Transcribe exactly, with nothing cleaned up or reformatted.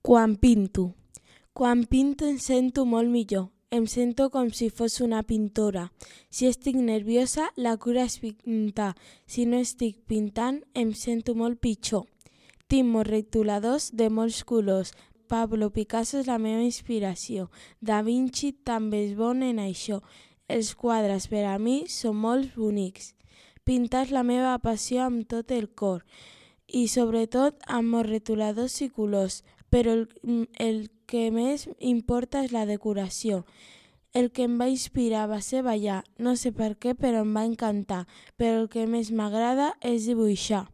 Quan pinto. Quan pinto em sento molt millor. Em sento com si fos una pintora. Si estic nerviosa, la cura és pintar. Si no estic pintant, em sento molt pitjor. Tinc molts retoladors de molts colors. Pablo Picasso és la meva inspiració. Da Vinci també és bon en això. Els quadres per a mi són molt bonics. Pintar és la meva passió amb tot el cor i sobretot amb molts retoladors i colors, però el, el que més importa és la decoració. El que em va inspirar va ser ballar, no sé per què, però em va encantar, però el que més m'agrada és dibuixar.